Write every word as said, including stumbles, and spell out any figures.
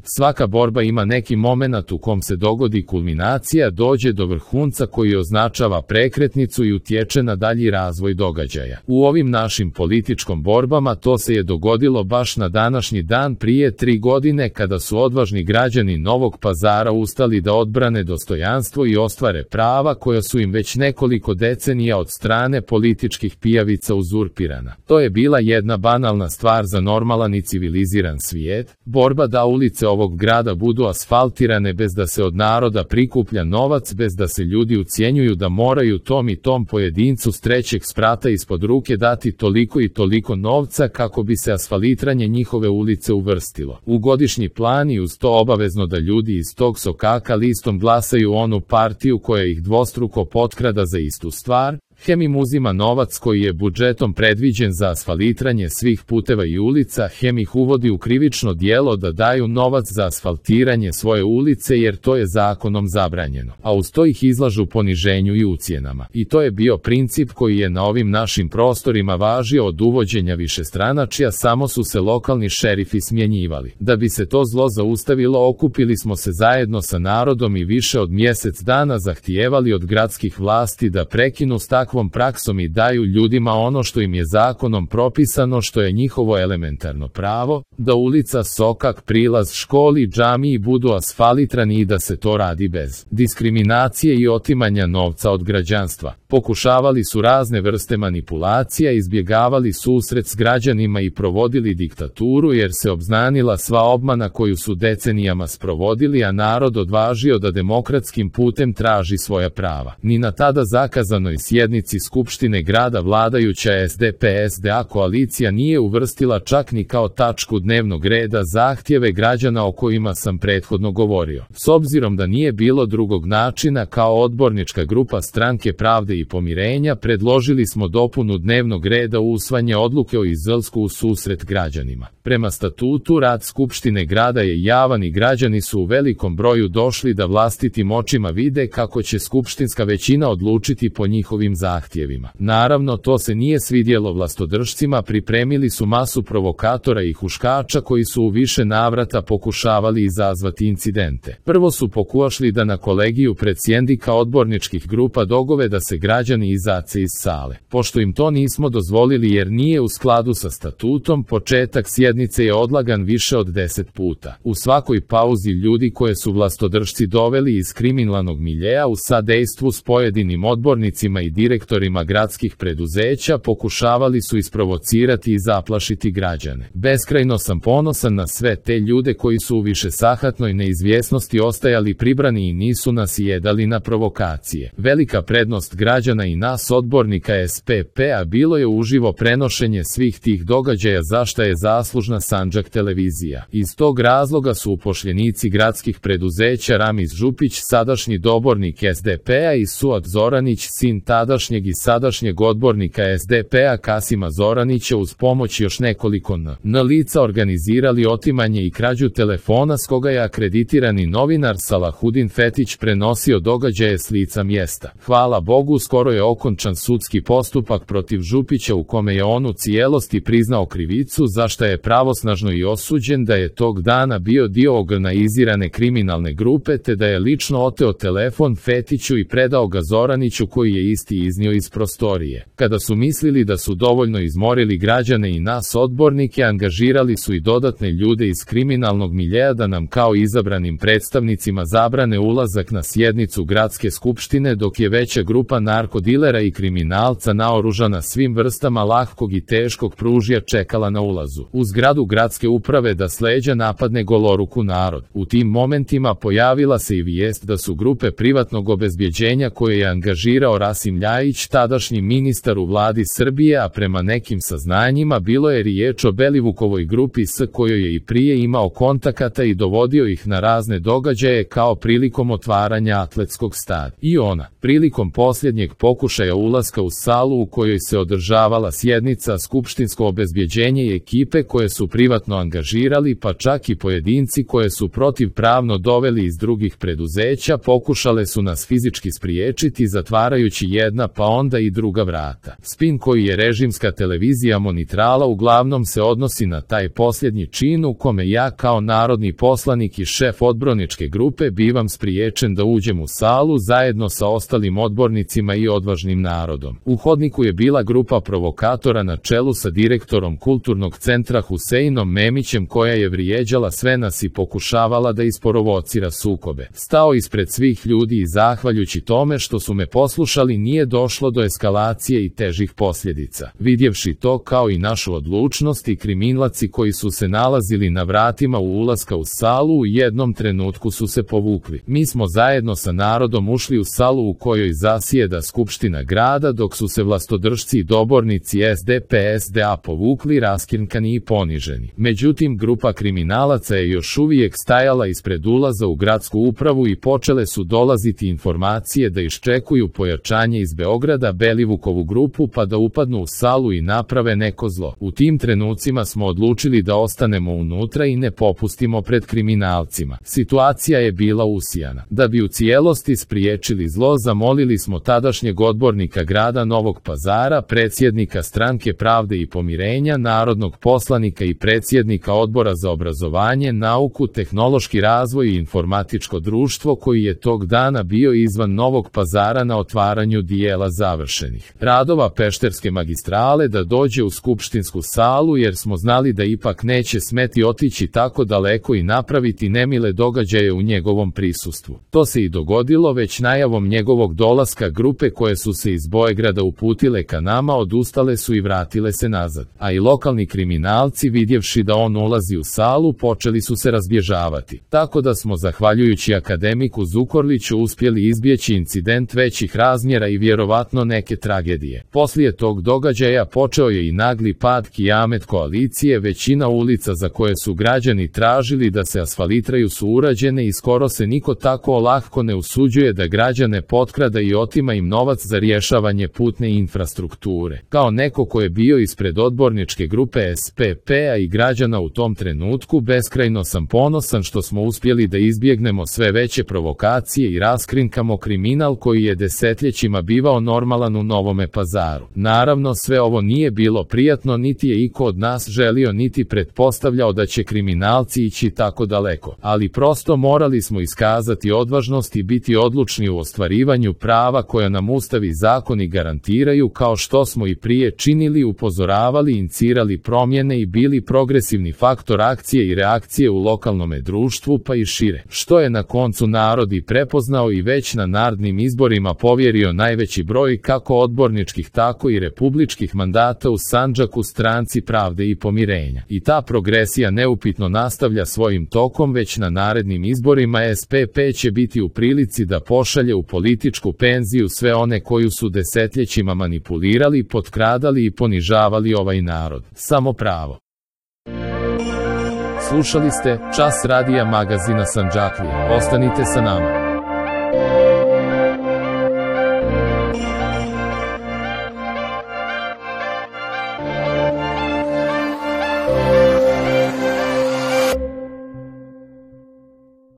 Svaka borba ima neki momenat u kom se dogodi kulminacija, dođe do vrhunca koji označava prekretnicu i utječe na dalji razvoj događaja. U ovim našim političkom borbama to se je dogodilo baš na današnji dan prije tri godine kada su odvažni građani Novog Pazara ustali da odbrane dostojanstvo i ostvare prava koja su im već nekoliko decenija od strane političkih pijavica uzurpirana. To je bila jedna banalna stvar za normalan i civiliziran svijet, borba da ulice ovog grada budu asfaltirane bez da se od naroda prikuplja novac, bez da se ljudi ucjenjuju da moraju tom i tom pojedincu s trećeg sprata ispod ruke dati toliko i toliko novca kako bi se asfaltiranje njihove ulice uvrstilo u godišnji plan i uz to obavezno da ljudi iz tog sokaka listom glasaju onu partiju koja ih dvostruko potkrada za istu stvar. Hem im uzima novac koji je budžetom predviđen za asfaltiranje svih puteva i ulica, hem ih uvodi u krivično djelo da daju novac za asfaltiranje svoje ulice jer to je zakonom zabranjeno, a uz to ih izlažu poniženju i ucjenama. I to je bio princip koji je na ovim našim prostorima važio od uvođenja višestranačja, samo su se lokalni šerifi smjenjivali. Da bi se to zlo zaustavilo, okupili smo se zajedno sa narodom i više od mjesec dana zahtijevali od gradskih vlasti da prekinu s takvom praksom i daju ljudima ono što im je zakonom propisano, što je njihovo elementarno pravo, da ulica, sokak, prilaz, školi, džamiji budu asfaltirani i da se to radi bez diskriminacije i otimanja novca od građanstva. Pokušavali su razne vrste manipulacija, izbjegavali susret s građanima i provodili diktaturu jer se obznanila sva obmana koju su decenijama sprovodili, a narod odvažio da demokratskim putem traži svoja prava. Ni na tada zakazanoj sjednici Skupštine grada vladajuća S D P S D A koalicija nije uvrstila čak ni kao tačku dnevnog reda zahtjeve građana o kojima sam prethodno govorio. S obzirom da nije bilo drugog načina, kao odbornička grupa Stranke pravde i pomirenja predložili smo dopunu dnevnog reda u usvajanje odluke o izlasku u susret građanima. Prema statutu rad Skupštine grada je javan i građani su u velikom broju došli da vlastitim očima vide kako će skupštinska većina odlučiti po njihovim zahtjevima. Naravno, to se nije svidjelo vlastodržcima, pripremili su masu provokatora i huškača koji su u više navrata pokušavali izazvati incidente. Prvo su pokušali da na kolegiju predsjednika odborničkih grupa dogove da se građani izace iz sale. Pošto im to nismo dozvolili jer nije u skladu sa statutom, početak sjednice je odlagan više od deset puta. U svakoj pauzi ljudi koje su vlastodržci doveli iz kriminalnog miljeja u sadejstvu s pojedinim odbornicima i direktorima gradskih preduzeća pokušavali su isprovocirati i zaplašiti građane. Beskrajno sam ponosan na sve te ljude koji su u višesahatnoj neizvjesnosti ostajali pribrani i nisu nas jedali na provokacije. Velika prednost građana i nas odbornika S P P-a bilo je uživo prenošenje svih tih događaja za šta je zaslužna Sandžak televizija. Iz tog razloga su upošljenici gradskih preduzeća Ramiz Župić, sadašnji dobornik S D P-a, i Suad Zoranić, sin tadašnjeg i sadašnjeg odbornika S D P-a Kasima Zoranića, uz pomoć još nekoliko N lica organizirali otimanje i krađu telefona s koga je akreditirani novinar Salahudin Fetić prenosio događaje s lica mjesta. Hvala Bogu, skoro je okončan sudski postupak protiv Župića u kome je on u cijelosti priznao krivicu, za šta je pravosnažno i osuđen da je tog dana bio dio organizirane kriminalne grupe te da je lično oteo telefon Fetiću i predao ga Zoraniću koji je isti iznio iz prostorije. Kada su mislili da su dovoljno izmorili građane i nas odbornike, angažirali su i dodatne ljude iz kriminalnog miljeja da nam kao izabranim predstavnicima zabrane ulazak na sjednicu gradske skupštine, dok je veća grupa narkodilera i kriminalca naoružana svim vrstama lahkog i teškog pružja čekala na ulazu u zgradu gradske uprave da s leđa napadne goloruku narod. U tim momentima pojavila se i vijest da su grupe privatnog obezbjeđenja koje je angažirao Rasim Ljajić, tadašnji ministar u vladi Srbije, a prema nekim saznanjima bilo je riječ o Belivukovoj grupi s kojoj je i prije imao kontakata i dovodio ih na razne događaje, kao prilikom otvaranja atletskog stada. I ona, prilikom posljednjeg pokušaja ulaska u salu u kojoj se održavala sjednica, skupštinsko obezbjeđenje i ekipe koje su privatno angažirali, pa čak i pojedinci koje su protivpravno doveli iz drugih preduzeća, pokušale su nas fizički spriječiti zatvarajući jedna pa onda i druga vrata. Spin koji je režimska televizija monitrala uglavnom se odnosi na taj posljednji čin u kome ja kao narodni poslanik i šef odborničke grupe bivam spriječen da uđem u salu zajedno sa ostalim odbornicima i odvažnim narodom. U hodniku je bila grupa provokatora na čelu sa direktorom kulturnog centra Huseinom Memićem koja je vrijeđala sve nas i pokušavala da isprovocira sukobe. Stao ispred svih ljudi i zahvaljujući tome što su me poslušali nije došlo do eskalacije i težih posljedica. Vidjevši to kao i našu odlučnost i kriminalci koji su se nalazili na vratima u ulaska u salu u jednom trenutku su se povukli. Mi smo zajedno sa narodom ušli u salu u kojoj zasjeda Skupština grada dok su se vlastodržci i dobornici S D P S D A povukli raskrinkani i poniženi. Međutim, grupa kriminalaca je još uvijek stajala ispred ulaza u gradsku upravu i počele su dolaziti informacije da iščekuju pojačanje iz Beograda Belivukovu grupu pa da upadnu u salu i naprave neko zlo. U tim trenucima smo odlučili da ostanemo unutra i ne popustimo pred kriminalcima. Situacija je bila usijana. Da bi u cijelosti spriječili zlo, zamolili smo tadašnjeg odbornika grada Novog Pazara, predsjednika Stranke pravde i pomirenja, narodnog poslanika i predsjednika Odbora za obrazovanje, nauku, tehnološki razvoj i informatičko društvo koji je tog dana bio izvan Novog Pazara na otvaranju dijela završenih radova Pešterske magistrale da dođe u skupštinsku salu jer smo znali da ipak neće smeti otići tako daleko i napraviti nemile događaje u njegovom prisustvu. To se i dogodilo već najavom njegovog dolaska grupe koje su se iz Beograda uputile ka nama odustale su i vratile se nazad, a i lokalni kriminalci vidjevši da on ulazi u salu počeli su se razbježavati. Tako da smo zahvaljujući akademiku Zukorliću uspjeli izbjeći incident većih razmjera i vjerovatno neke tragedije. Poslije tog događaja počeo je i nagli pad kijamet koalicije, većina ulica za koje su građani tražili da se asfalitraju su urađene i skoro se niko tako olahko ne usuđuje da građane potkrada i otima im novac za rješavanje putne infrastrukture. Kao neko ko je bio ispred odborničke grupe S P P-a i građana u tom trenutku, beskrajno sam ponosan što smo uspjeli da izbjegnemo sve veće provokacije i raskrinkamo kriminal koji je desetljećima bivao normalan u Novome Pazaru. Naravno, sve ovo nije bilo prijatno, niti je iko od nas želio niti pretpostavljao da će kriminalci ići tako daleko, ali prosto morali smo iskazati odvažnost i biti odlučni u ostvarivanju prava koja nam Ustav i zakoni garantiraju, kao što smo i prije činili, upozoravali, inicirali promjene i bili progresivni faktor akcije i reakcije u lokalnome društvu pa i šire, što je na koncu narod i prepoznao i već na narednim izborima povjerio najveći broj kako odborničkih tako i republičkih mandata u Sandžaku Stranci pravde i pomirenja. I ta progresija neupitno nastavlja svojim tokom, već na narednim izborima S P P će biti u prilici da pošalje u političku penziju sve one koju su desetljećima manipulirali, potkradali i ponižavali ovaj narod. Samo pravo. Slušali ste Čas radija magazina Sandžaklije. Ostanite sa nama.